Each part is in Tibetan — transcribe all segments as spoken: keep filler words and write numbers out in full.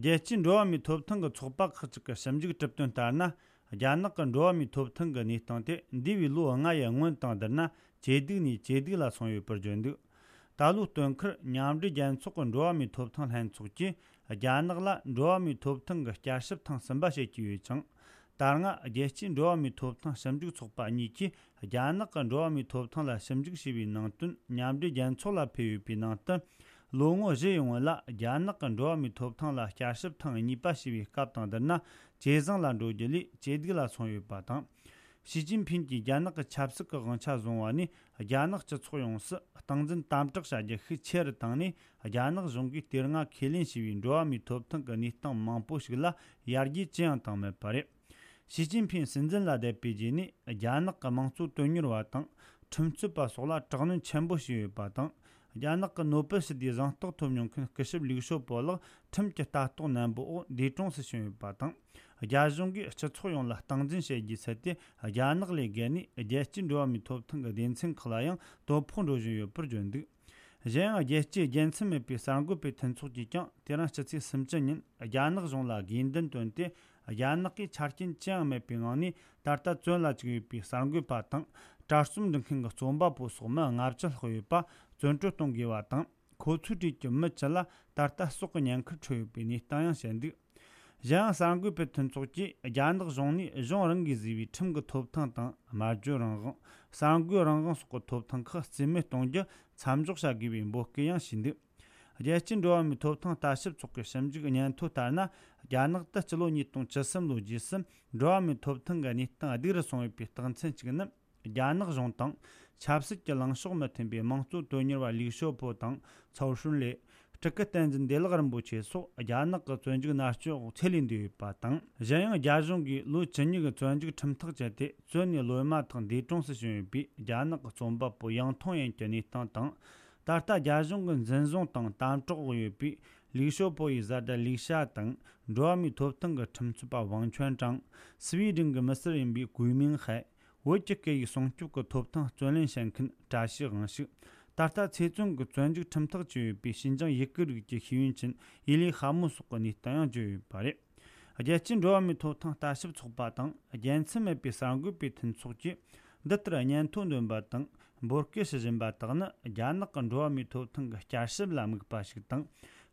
རྒྱལ་སྤྱིའི་འགྲོ་བ་མིའི་ཐོབ་ཐང་གི་ཚོགས་པ་ཁག་ཅིག་གི་ཞིབ་འཇུག་གྲུབ་དོན་ལྟར་ན། རྒྱ་ནག་གི་འགྲོ་བ་མིའི་ཐོབ་ཐང་གི་གནས་སྟངས་དེ་འདས་པའི་ལོ་ལྔ་ཡི་སྔོན་དང་བསྡུར་ན་ཇེ་སྡུག་ནས་ཇེ་སྡུག་ལ་སོང་ཡོད་པར་བརྗོད་འདུག་ད་ལོའི་སྟོན་ཁར་མཉམ་འབྲེལ་རྒྱལ་ཚོགས་ཀྱི་འགྲོ་བ་མིའི་ཐོབ་ཐང་ལྷན་ཚོགས་ཀྱིས་རྒྱ་ནག་ལ་འགྲོ་བ་མིའི་ཐོབ་ཐང་གི་བསྐྱར་ཞིབ་ཐེངས་གསུམ་པ་བྱེད་ཀྱི་ཡོད་ཅིང་། ད་སྔ་རྒྱལ་སྤྱིའི་འགྲོ་བ་མིའི་ཐོབ་ཐང་ཞིབ་འཇུག་ཚོགས་པ་གཉིས་ཀྱིས་རྒྱ་ནག་གི་འགྲོ་བ་མིའི་ཐོབ་ཐང་ལ་ཞིབ་འཇུག་བྱས་པའི་ནང་དོན་མཉམ་འབྲེལ་རྒྱལ་ཚོགས་ལ་ཕུལ་ཡོད་པའི་ནང་དུ། ལོ་ངོ་བཞི་ཡི་སྔོན་ལ་རྒྱ་ནག་གི་འགྲོ་བ་མིའི་ཐོབ་ཐང་ལ་བསྐྱར་ཞིབ་ཐེངས་གཉིས་པ་བྱས་པའི་སྐབས་དང་བསྡུར་ན་ཇེ་བཟང་ལ་འགྲོ་རྒྱུ་ལས་ཇེ་སྡུག་ལ་སོང་ཡོད་པ་དང་། ཞི་ཅིན་ཕིན་གྱིས་རྒྱ་ནག་གི་ཆབ་སྲིད་ཀྱི་དབང་ཆ་བཟུང་བ་ནས་རྒྱ་ནག་སྤྱི་ཚོགས་ཡོངས་སུ་སྟངས་འཛིན་དམ་དྲག་བྱ་རྒྱུ་ཤུགས་ཆེ་རུ་བཏང་ནས། རྒྱ་ནག་གཞུང་གིས་དེ་སྔ་ཁས་ལེན་བྱས་པའི་འགྲོ་བ་མིའི་ཐོབ་ཐང་གི་གནས་སྟངས་མང་པོ་ཞིག་ལ་ཡར་རྒྱས་ཅི་ཡང་བཏང་མེད་པ་རེད། ཞི་ཅིན་ཕིན་སྲིད་འཛིན་ལ་བསྡད་པའི་རྗེས་ནས་རྒྱ་ནག་གི་དམངས་གཙོ་དོན་གཉེར་བ་དང་ཁྲིམས་རྩོད་པ་སོགས་ལ་དྲག་གནོན་ཆེན་པོ་བྱས་ཡོད་པ་དང་། རྒྱ་ནག་གི་ནོ་པེལ་ཞི་བདེའི་གཟེངས་རྟགས་ཐོབ་མྱོང་མཁན་སྐུ་ཞབས་ལིག་ཞོ་པོ་ལགས་ཁྲིམས་ཀྱི་ལྟ་རྟོག་ནན་པོའི་འོག་འདས་གྲོངས་སུ་ཕྱིན་ཡོད་པ་དང་། རྒྱ་གཞུང་གིས་སྤྱི་ཚོགས་ཡོངས་ལ་སྟངས་འཛིན་བྱེད་རྒྱུའི་ཚུལ་དེ་རྒྱ་ནག་ལས་བརྒལ་ནས་རྒྱལ་སྤྱིའི་འགྲོ་བ་མིའི་ཐོབ་ཐང་གི་སྡེ་ཚན་ཁག་ལ་ཡང་དོ་ཕོག་འགྲོ་བཞིན་ཡོད་པར་བརྗོད་འདུག་གཞན་ཡང་རྒྱལ་སྤྱིའི་རྒྱལ་མཚམས་མེད་པའི་གསར་འགོད་པའི་མཐུན་ཚོགས་ཀྱིས་ཀྱང་དེ་རིང་ཕྱི་ཚེས་སུམ་ཅུ་ཉིན་རྒྱ་ནག་གཞུང་ལ་དགོས་འདུན་བཏོན་ཏེ། རྒྱ་ནག་གིས་ཆ་རྐྱེན་ཅི་ཡང་མེད་པའི་ངང་ནས་ད་ལྟ་བཙོན་ལ་བཅུག་ཡོད་པའི་གསར་འགོད་པ་དང་། གྲྭ་བཙུན་འབྲི་མཁན་གྱི་རྩོམ་པ་པོ་སོགས་མི་ལྔ་བཅུ་ལྷག་ཡོད་པ་བཙོན་གྲོལ་གཏོང་དགོས་པ་དང་། ཁོ་ཚོའི་གྲས་ཀྱི་མི་བཅུ་ལ་ད་ལྟ་སྲོག་གི་ཉེན་ཁར་འཕྲད་ཡོད་པའི་གནས་སྟངས་ཡང་བཤད་འདུག་གཞན་ཡང་གསར་འགོད་པའི་མཐུན་ཚོགས་ཀྱིས་རྒྱ་ནག་གཞུང་ནས་གཞུང་རང་གིས་བཟོས་པའི་ཁྲིམས་ཀྱི་ཐོབ་ཐང་དང་། སྨྲ་བརྗོད་རང་དབང་། གསར་འགོད་རང་དབང་སོགས་ཀྱི་ཐོབ་ཐང་ཁག་རྩིས་མེད་གཏོང་རྒྱུ་མཚམས་འཇོག་བྱ་དགོས་པའི་འབོད་སྐུལ་ཡང་བྱས་འདུག་རྒྱལ་སྤྱིའི་འགྲོ་བ་མིའི་ཐོབ་ཐང་ལྟ་ཞིབ་ཚོགས་ཀྱི་ཞིབ་འཇུག་སྙན་ཐོ་ལྟར་ན། རྒྱ་ནག་ཏུ་སྤྱི་ལོ་ཉིས་སྟོང་བཅུ་གསུམ་ལོའི་རྗེས་སུ་འགྲོ་བ་མིའི་ཐོབ་ཐང་གི་གནས་སྟངས་སྡུག་རུ་སོང་ཡོད་པའི་རྟགས་མཚན་གཅིག་ནི། རྒྱ་ནག་གཞུང་དང་ཆབ་སྲིད་ཀྱི་ལངས་ཕྱོགས་མི་མཐུན་པའི་དམངས་གཙོ་དོན་གཉེར་བ་ལིག་ཞོ་པོ་དང་ཚའོ་ཧྲུན་ལེ། སྤྲུལ་སྐུ་བསྟན་འཛིན་བདེ་ལེགས་རིན་པོ་ཆེ་སོགས་རྒྱ་ནག་གི་བཙོན་འཇུག་མནར་གཅོད་འོག་ཚེ་ལས་འདས་ཡོད་པ་དང་། གཞན་ཡང་རྒྱ་གཞུང་གིས་ལོ་བཅུ་གཉིས་ཀྱི་བཙོན་འཇུག་ཁྲིམས་ཐག་བཅད་དེ་བཙོན་ནས་ལོ་མ་ཐག་འདས་གྲོངས་སུ་ཕྱིན་ཡོད་པའི་རྒྱ་ནག་གི་རྩོམ་པ་པོ་ཡང་ཐོང་ཡན་གྱི་གནས་སྟངས་དང་། ད་ལྟ་རྒྱ་གཞུང་གིས་འཛིན་བཟུང་དང་དམ་དྲག་འོག་ཡོད་པའི་ལིག་ཞོ་པོ་ཡི་བཟའ་ཟླ་ལིག་ཤ་དང་། འགྲོ་བ་མིའི་ཐོབ་ཐང་གི་ཁྲིམས་རྩོད་པ་ཝང་ཆོན་ཀྲང་། སི་ཝི་ཌེན་གྱི་མི་སེར་ཡིན་པའི་གུས་མིང་ཧའེ། བོད་ཀྱི་སྐད་ཡིག་སྲུང་སྐྱོབ་ཀྱི་ཐོབ་ཐང་རྩོད་ལེན་བྱེད་མཁན་བཀྲ་ཤིས་དབང་ཕྱུག་ད་ལྟ་ཚེ་བཙོན་གྱི་བཙོན་འཇུག་ཁྲིམས་ཐག་བཅད་ཡོད་པའི་ཞིན་ཅང་ཡུ་གུར་རིགས་ཀྱི་ཤེས་ཡོན་ཅན་ཡི་ལི་ཧ་མུ་སོགས་ཀྱི་གནས་སྟངས་ཡང་བརྗོད་ཡོད་པ་རེད། རྒྱལ་སྤྱིའི་འགྲོ་བ་མིའི་ཐོབ་ཐང་ལྟ་ཞིབ་ཚོགས་པ་དང་རྒྱལ་མཚམས་མེད་པའི་གསར་འགོད་པའི་མཐུན་ཚོགས་ཀྱིས་འདི་ལྟར་སྙན་ཐོ་འདོན་པ་དང་འབོད་སྐུལ་ཞུ་བཞིན་པ་དག་ནི་རྒྱ་ནག་གི་འགྲོ་བ་མིའི་ཐོབ་ཐང་གི་བསྐྱར་ཞིབ་ལ་དམིགས་པ་ཞིག་དང་།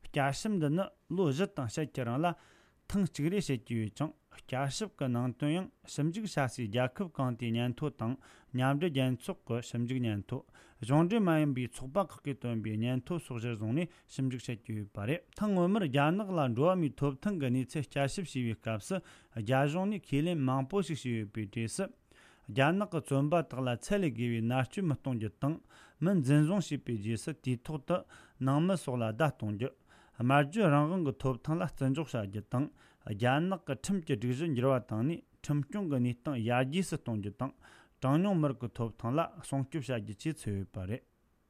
བསྐྱར་ཞིབ་འདི་ནི་ལོ་བཞི་དང་ཕྱེད་ཀྱི་རིང་ལ་ཐེངས་གཅིག་རེ་བྱེད་ཀྱི་ཡོད་ཅིང་། བསྐྱར་ཞིབ་ཀྱི་ནང་དོན་ཡང་ཞིབ་འཇུག་བྱ་སའི་རྒྱལ་ཁབ་གང་དེའི་སྙན་ཐོ་དང་། མཉམ་འབྲེལ་རྒྱལ་ཚོགས་ཀྱི་ཞིབ་འཇུག་སྙན་ཐོ། གཞུང་འབྲེལ་མ་ཡིན་པའི་ཚོགས་པ་ཁག་གིས་བཏོན་པའི་སྙན་ཐོ་སོགས་གཞིར་བཟུང་ནས་ཞིབ་འཇུག་བྱེད་ཀྱི་ཡོད་པ་རེད། ཐེངས་སྔོན་མར་རྒྱ་ནག་ལ་འགྲོ་བ་མིའི་ཐོབ་ཐང་གི་གནས་ཚུལ་བསྐྱར་ཞིབ་བྱས་པའི་སྐབས་སུ། རྒྱ་གཞུང་ནས་ཁས་ལེན་མང་པོ་ཞིག་བྱས་ཡོད་པའི་གྲས་སུ། རྒྱ་ནག་གི་བཙོན་པ་དག་ལ་ཚད་ལས་བརྒལ་བའི་མནར་གཅོད་མི་གཏོང་རྒྱུ་དང་། མི་འཛིན་བཟུང་བྱས་པའི་རྗེས་སུ་དུས་ཐོག་ཏུ་ནང་མི་སོགས་ལ་བརྡ་གཏོང་རྒྱུ། སྨྲ་བརྗོད་རང་དབང་གི་ཐོབ་ཐང་ལ་བརྩི་འཇོག་བྱ་རྒྱུ་དང་། རྒྱ་ནག་གི་ཁྲིམས་ཀྱི་སྒྲིག་གཞི་འགྱུར་བ་བཏང་ནས་ཁྲིམས་སྐྱོང་གི་གནས་སྟངས་ཡར་རྒྱས་སུ་གཏོང་རྒྱུ་དང་། གྲངས་ཉུང་མི་རིགས་ཀྱི་ཐོབ་ཐང་ལ་སྲུང་སྐྱོབ་བྱ་རྒྱུ་བཅས་ཚུད་ཡོད་པ་རེད།